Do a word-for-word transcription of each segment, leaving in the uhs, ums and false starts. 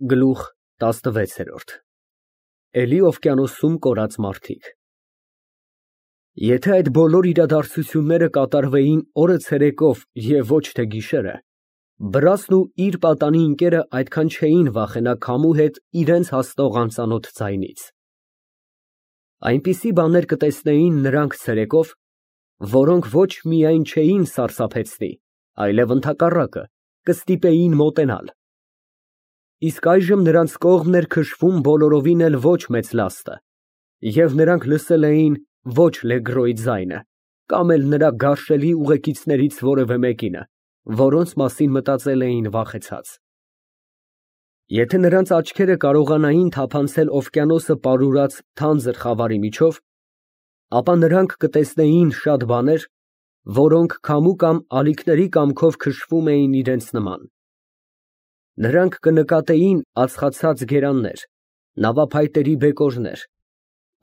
Գլուխ տասնվեցերորդ Էլի օվկիանոսում կորած մարդիկ Եթե այդ բոլոր իրադարձությունները կատարվեին օրը ցերեկով և ոչ թե գիշերը, Վրացն ու իր պատանի ընկերը այդքան չէին վախենա քամու հետ իրենց հասնող անծանոթ ձայնից։ Այնպիսի բաներ կտեսնեին նրանք ցերեկով, որոնք ոչ միայն չէին սարսափեցնի, այլև ընդհակառակը, կստիպեին մոտենալ։ Իսկ այժմ նրանց կողմն էր քշվում բոլորովին էլ ոչ մեծ լաստը, և նրանք լսել էին ոչ Լեգրոյի ձայնը, կամ էլ նրա գարշելի ուղեկիցներից որևէ մեկինը, որոնց մասին մտածել էին վախեցած։ Եթե նրանց աչքերը կարողանային թափանցել օվկիանոսը պարուրած թանձր խավարի միջով, ապա նրանք կտեսնեին շատ բաներ, որոնք քամու կամ ալիքների կամքով քշվում էին իրենց նման։ Նրանք կնկատեին ածխացած գերաններ, նավափայտերի բեկորներ,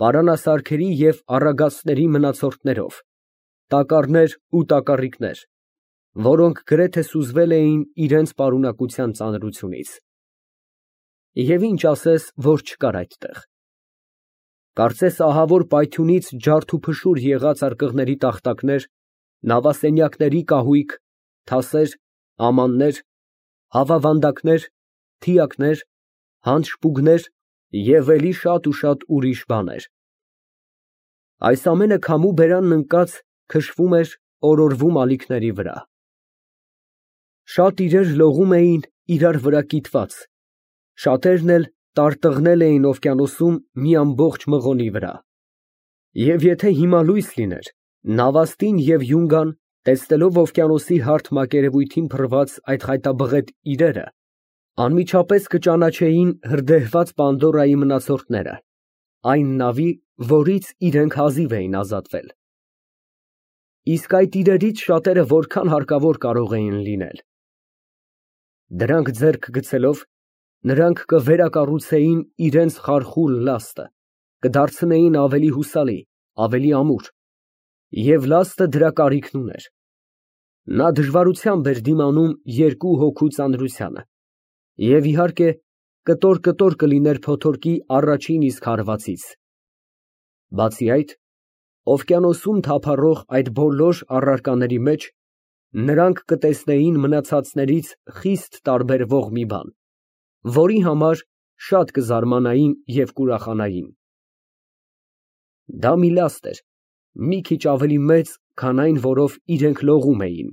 պարանասարքերի և առագաստների մնացորդներով, տակառներ ու տակառիկներ, որոնք գրեթե սուզվել էին իրենց պարունակության ծանրությունից։ Եվ ինչ ասես, որ չկար այդտեղ։ Կարծես ահավոր պայթյունից ջարդուփշուր եղած արկղների տախտակներ, նավասենյակների կահույք, թասեր, ամաններ, հավավանդակներ, թիակներ, հանձշպուգներ և էլի շատ ու շատ ուրիշ բաներ։ Այս ամենը քամու բերանն ընկած քշվում էր օրորվում ալիքների վրա։ Շատ իրեր լողում էին իրար վրա կիտված, շատերն էլ տարտղնել էին օվկիանոսում մի ամբողջ մղոնի վրա։ Եվ եթե հիմա լույս լիներ, Նավաստին և Յունգան, տեսնելով օվկիանոսի հարթ մակերևույթին փռված այդ խայտաբղետ իրերը, անմիջապես կճանաչեին հրդեհված Պանդորայի մնացորդները, այն նավի, որից իրենք հազիվ էին ազատվել։ Իսկ այդ իրերից շատերը որքան հարկավոր կարող էին լինել։ Դրանք ձեռք գցելով, նրանք կվերակառուցեին իրենց խարխուլ լաստը, կդարձնեին ավելի հուսալի, ավելի ամուր, և լաստը դրա կարիքն ուներ։ Նա դժվարությամբ էր դիմանում երկու հոգու ծանրությանը, և իհարկե, կտոր֊կտոր կլիներ փոթորկի առաջին իսկ հարվածից։ Բացի այդ, օվկիանոսում թափառող այդ բոլոր առարկաների մեջ նրանք կտեսնեին մնացածներից խիստ տարբերվող մի բան, որի համար շատ կզարմանային և կուրախանային։ Դա մի լաստ էր, մի քիչ ավելի մեծ, քան այն, որով իրենք լողում էին,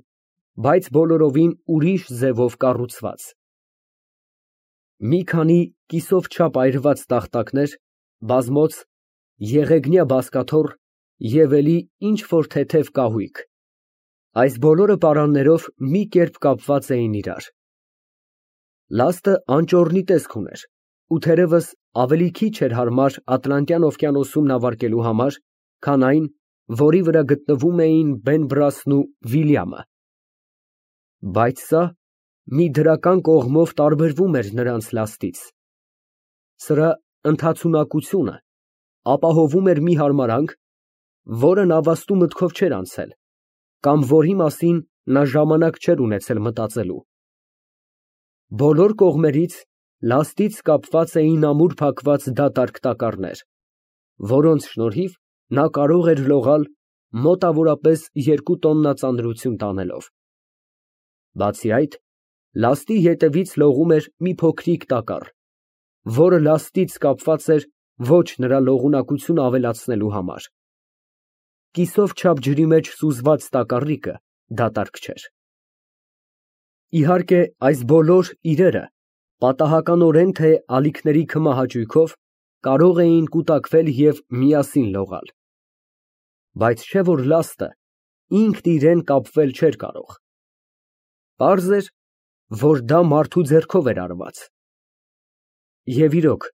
բայց բոլորովին ուրիշ ձևով կառուցված։ Մի քանի կիսով չափ այրված տախտակներ, բազմոց, եղեգնյա բազկաթոռ և էլի ինչ֊որ թեթև կահույք, այս բոլորը պարաններով մի կերպ կապված էին իրար։ Լաստը անճոռնի տեսք ուներ ու թերևս ավելի քիչ էր հարմար Ատլանտյան օվկիանոսում նավարկելու համար, քան այն, որի վրա գտնվում էին Բեն֊Բրասն ու Վիլյամը։ Բայց սա մի դրական կողմով տարբերվում էր նրանց լաստից։ Սրա ընդհացունակությունը ապահովում էր մի հարմարանք, որը նավաստու մտքով չէր անցել, կամ որի մասին նա ժամանակ չէր ունեցել մտածելու։ Բոլոր կողմերից լաստից կապված էին ամուր փակված դատարկ տակառներ, որոնց շնորհիվ նա կարող էր լողալ մոտավորապես երկու տոննա ծանրություն տանելով։ Բացի այդ, լաստի ետևից լողում էր մի փոքրիկ տակառ, որը լաստից կապված էր ոչ նրա լողունակությունը ավելացնելու համար։ Կիսով չափ ջրի մեջ սուզված տակառիկը դատարկ չէր։ Իհարկե, այս բոլոր իրերը, պատահականորեն թե ալիքների քմահաճույքով, կարող էին կուտակվել և միասին լողալ։ Բայց չէ՞ որ լաստը ինքն իրան կապվել չէր կարող։ Պարզ էր, որ դա մարդու ձեռքով էր արված։ Եվ իրոք,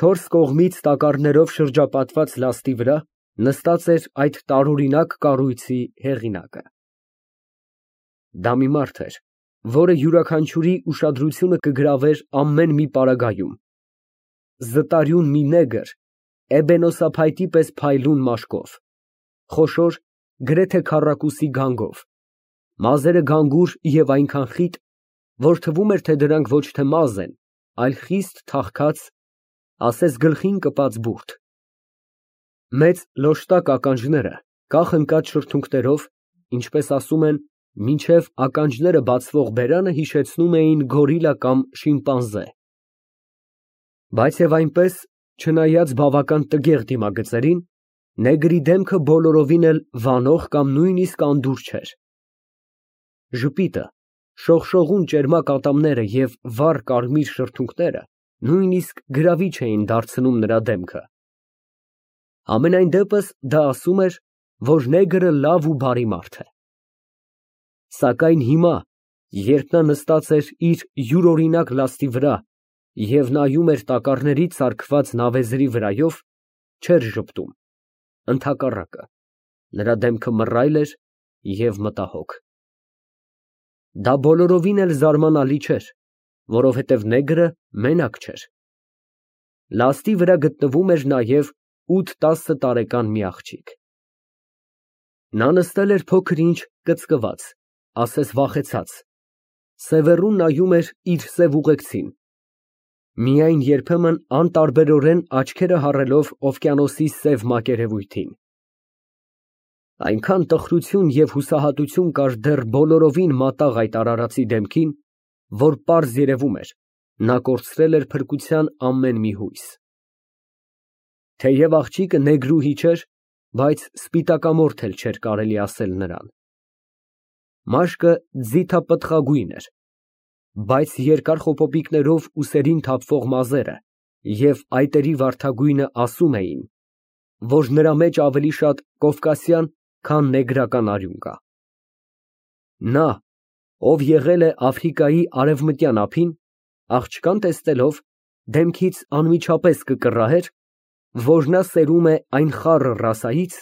չորս կողմից տակառներով շրջապատված լաստի վրա նստած էր այդ տարօրինակ կառույցի հեղինակը։ Դա մի մարդ էր, որը յուրաքանչյուրի ուշադրությունը կգրավեր ամեն մի պարագայում, զտարյուն մի նեգր էբենոսափայտի պես փայլուն մաշկով, խոշոր, գրեթե քառակուսի գանգով, մազերը գանգուր և այնքան խիտ, որ թվում էր, թե դրանք ոչ թե մազ են, այլ խիստ թախքած, ասես գլխին կպած բուրդ։ Մեծ լոշտակ ականջները կախ ընկած շրթունքներով, ինչպես ասում են, մինչև ականջները բացվող բերանը հիշեցնում էին գորիլլա կամ շիմպանզե։ Բայց և այնպես, չնայած բավական տգեղ դիմագծերին, նեգրի դեմքը բոլորովին էլ վանող կամ նույնիսկ անդուր չէր։ Ժպիտը, շողշողուն ճերմակ ատամները և վառ կարմիր շրթունքները նույնիսկ գրավիչ էին դարձնում նրա դեմքը։ Համենայն դեպս դա ասում էր, որ նեգրը լավ ու բարի մարդ է։ Սակայն հիմա, երբ նա նստած էր իր յուրօրինակ լաստի վրա և նայում էր տակառներից սարքված նավեզրի վրայով, չէր ժպտում, ընդհակառակը, նրա դեմքը մռայլ էր և մտահոգ։ Դա բոլորովին էլ զարմանալի չէր, որովհետև նեգրը մենակ չէր։ Լաստի վրա գտնվում էր նաև ութ֊տասը տարեկան մի աղջիկ։ Նա նստել էր փոքր֊ինչ կծկված, ասես վախեցած, սևեռուն նայում էր իր սև ուղեկցին, միայն երբեմն անտարբերորեն աչքերը հառելով օվկիանոսի սև մակերևույթին։ Այնքան տխրություն և հուսահատություն կար դեռ բոլորովին մատաղ այդ արարածի դեմքին, որ պարզ երևում էր, նա կորցրել էր փրկության ամեն մի հույս։ Թեև աղջիկը նեգրուհի չէր, բայց սպիտակամորթ էլ չէր կարելի ասել նրան։ Մաշկը ձիթապտղագույն էր, բայց երկար խոպոպիկներով ուսերին թափվող մազերը և այտերի վարդագույնը ասում էին, որ նրա մեջ ավելի շատ կովկասյան, քան նեգրական արյուն կա։ Նա, ով եղել է Աֆրիկայի արևմտյան ափին, աղջկան տեսնելով, դեմքից անմիջապես կկռահեր, որ նա սերում է այն խառը ռասայից,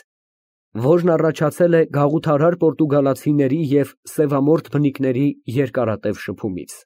որն առաջացել է գաղութարար պորտուգալացիների և սևամորթ բնիկների երկարատև շփումից։